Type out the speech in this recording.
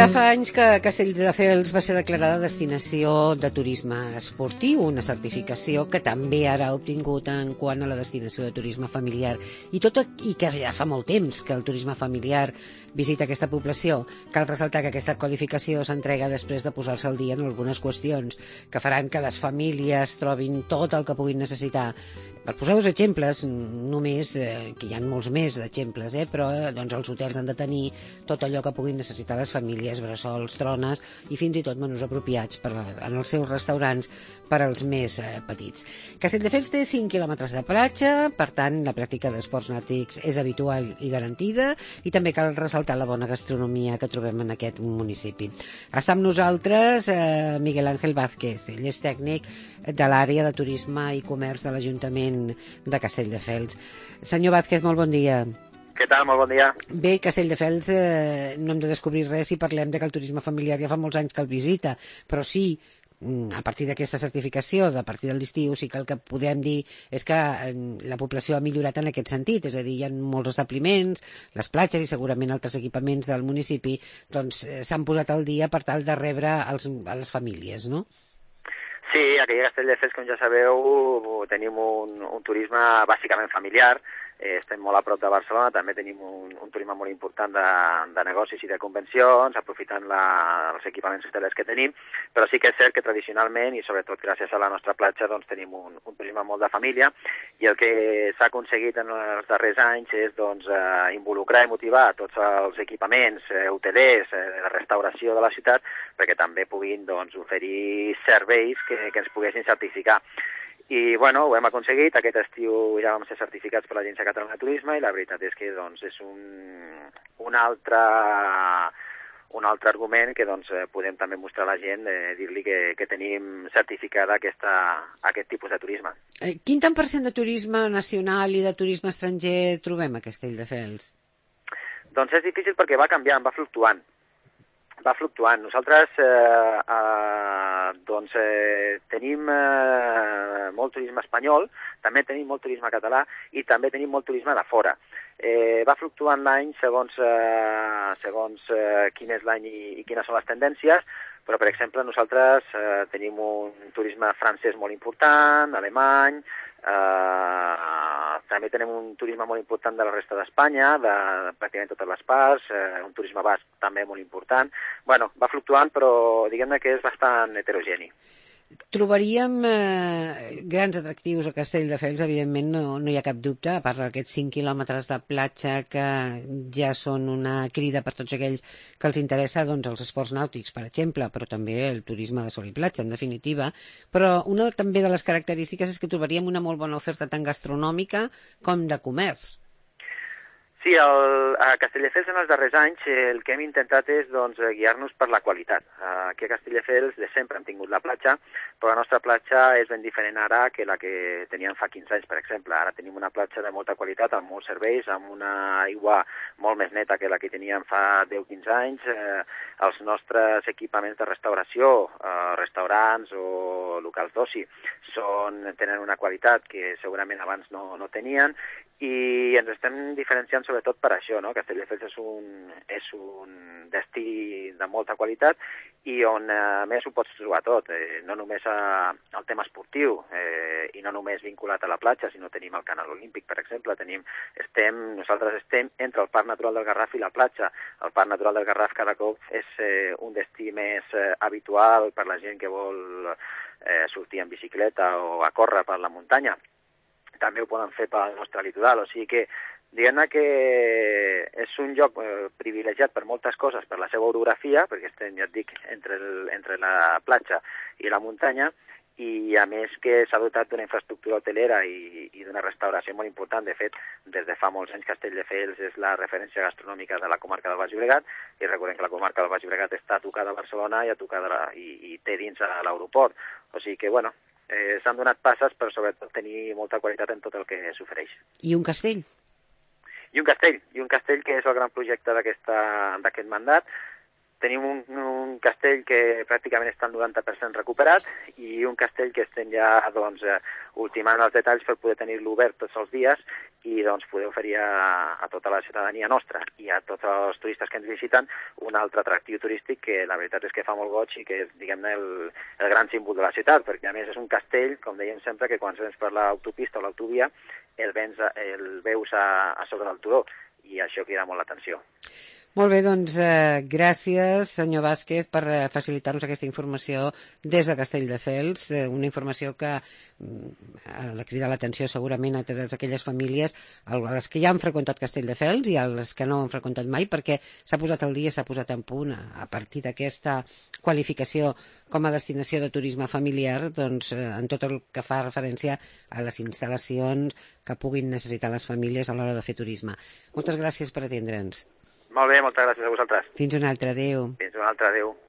Ja fa anys que Castelldefels va ser declarada destinació de turisme esportiu, una certificació que també ara ha obtingut en quant a la destinació de turisme familiar. I que ja fa molt temps que el turisme familiar visita aquesta població. Cal ressaltar que aquesta qualificació s'entrega després de posar-se al dia en algunes qüestions que faran que les famílies trobin tot el que puguin necessitar. Per posar dos exemples, només, que hi ha molts més d'exemples, però doncs els hotels han de tenir tot allò que puguin necessitar les famílies, bressols, trones i fins i tot menús apropiats en els seus restaurants per als més petits. Castelldefels té 5 quilòmetres de platja, per tant la pràctica d'esports nàutics és habitual i garantida, i també cal ressaltar la bona gastronomia que trobem en aquest municipi. Està amb nosaltres Miguel Ángel Vázquez, ell és tècnic de l'àrea de turisme i comerç de l'Ajuntament de Castelldefels. Senyor Vázquez, molt bon dia. Què tal? Molt bon dia. Bé, Castelldefels no hem de descobrir res si parlem de que el turisme familiar ja fa molts anys que el visita, però sí, a partir d'aquesta certificació, a partir de l'estiu, sí que el que podem dir és que la població ha millorat en aquest sentit, és a dir, hi ha molts establiments, les platges i segurament altres equipaments del municipi doncs s'han posat al dia per tal de rebre a les famílies, no? Sí, aquí a Castelldefels, com ja sabeu, tenim un turisme bàsicament familiar. Estem molt a prop de Barcelona, també tenim un turisme molt important de negocis i de convencions, aprofitant els equipaments hotelers que tenim, però sí que és cert que tradicionalment, i sobretot gràcies a la nostra platja, doncs tenim un turisme molt de família, i el que s'ha aconseguit en els darrers anys és involucrar i motivar tots els equipaments hotelers, de restauració de la ciutat, perquè també puguin oferir serveis que ens poguessin certificar. I, bueno, ho hem aconseguit. Aquest estiu ja vam ser certificats per l'Agència Catalana de Turisme i la veritat és que és un altre argument que podem també mostrar a la gent, dir-li que tenim certificada aquest tipus de turisme. Quin tant per cent de turisme nacional i de turisme estranger trobem a Castelldefels? Doncs és difícil perquè va canviant, va fluctuant. Nosaltres tenim molt turisme espanyol, també tenim molt turisme català i també tenim molt turisme de fora. Va fluctuant l'any segons quin és l'any i quines són les tendències, però, per exemple, nosaltres tenim un turisme francès molt important, alemany, també tenim un turisme molt important de la resta d'Espanya, de pràcticament totes les parts, un turisme basc també molt important. Bueno, va fluctuant, però diguem-ne que és bastant heterogeni. Trobaríem grans atractius a Castelldefels, evidentment, no hi ha cap dubte, a part d'aquests 5 quilòmetres de platja que ja són una crida per tots aquells que els interessa els esports nàutics, per exemple, però també el turisme de sol i platja, en definitiva. Però una també de les característiques és que trobaríem una molt bona oferta tant gastronòmica com de comerç. Sí, a Castelldefels en els darrers anys el que hem intentat és guiar-nos per la qualitat. Aquí a Castelldefels de sempre hem tingut la platja, però la nostra platja és ben diferent ara que la que teníem fa 15 anys, per exemple. Ara tenim una platja de molta qualitat, amb molts serveis, amb una aigua molt més neta que la que teníem fa 10-15 anys. Els nostres equipaments de restauració, restaurants o locals d'oci, tenen una qualitat que segurament abans no tenien, i ens estem diferenciant sobretot per això, no? Castelldefels és un destí de molta qualitat i on a més ho pots trobar tot, no només el tema esportiu i no només vinculat a la platja, sinó tenim el Canal Olímpic, per exemple. Nosaltres estem entre el Parc Natural del Garraf i la platja. El Parc Natural del Garraf cada cop és un destí més habitual per la gent que vol sortir en bicicleta o a córrer per la muntanya. També ho poden fer pel nostre litoral, o sigui que diguem-ne que és un lloc privilegiat per moltes coses, per la seva orografia, perquè estem, ja et dic, entre la platja i la muntanya, i a més que s'ha dotat d'una infraestructura hotelera i d'una restauració molt important. De fet, des de fa molts anys Castelldefels és la referència gastronòmica de la comarca del Baix Llobregat, i recordem que la comarca del Baix Llobregat està tocada a Barcelona i té dins a l'aeroport. O sigui que, bueno, s'han donat passes per sobretot tenir molta qualitat en tot el que s'ofereix. I un castell? I un castell que és el gran projecte d'aquest mandat. tenim un castell que pràcticament està al 90% recuperat i un castell que estem ja ultimant els detalls per poder tenir-lo obert tots els dies i poder oferir a tota la ciutadania nostra i a tots els turistes que ens visiten un altre atractiu turístic que la veritat és que fa molt goig i que és, diguem-ne, el gran símbol de la ciutat, perquè a més és un castell, com dèiem sempre, que quan vens per l'autopista o l'autovia el veus a sobre del turó i això crida molt l'atenció. Molt bé, doncs gràcies, senyor Vázquez, per facilitar-nos aquesta informació des de Castelldefels, una informació que ha de cridar l'atenció segurament a totes aquelles famílies, a les que ja han freqüentat Castelldefels i a les que no han freqüentat mai, perquè s'ha posat al dia, s'ha posat en punt a partir d'aquesta qualificació com a destinació de turisme familiar, doncs en tot el que fa referència a les instal·lacions que puguin necessitar les famílies a l'hora de fer turisme. Moltes gràcies per atendre'ns. Molt bé, moltes gràcies a vosaltres. Fins una altra, adéu. Fins una altra, adéu.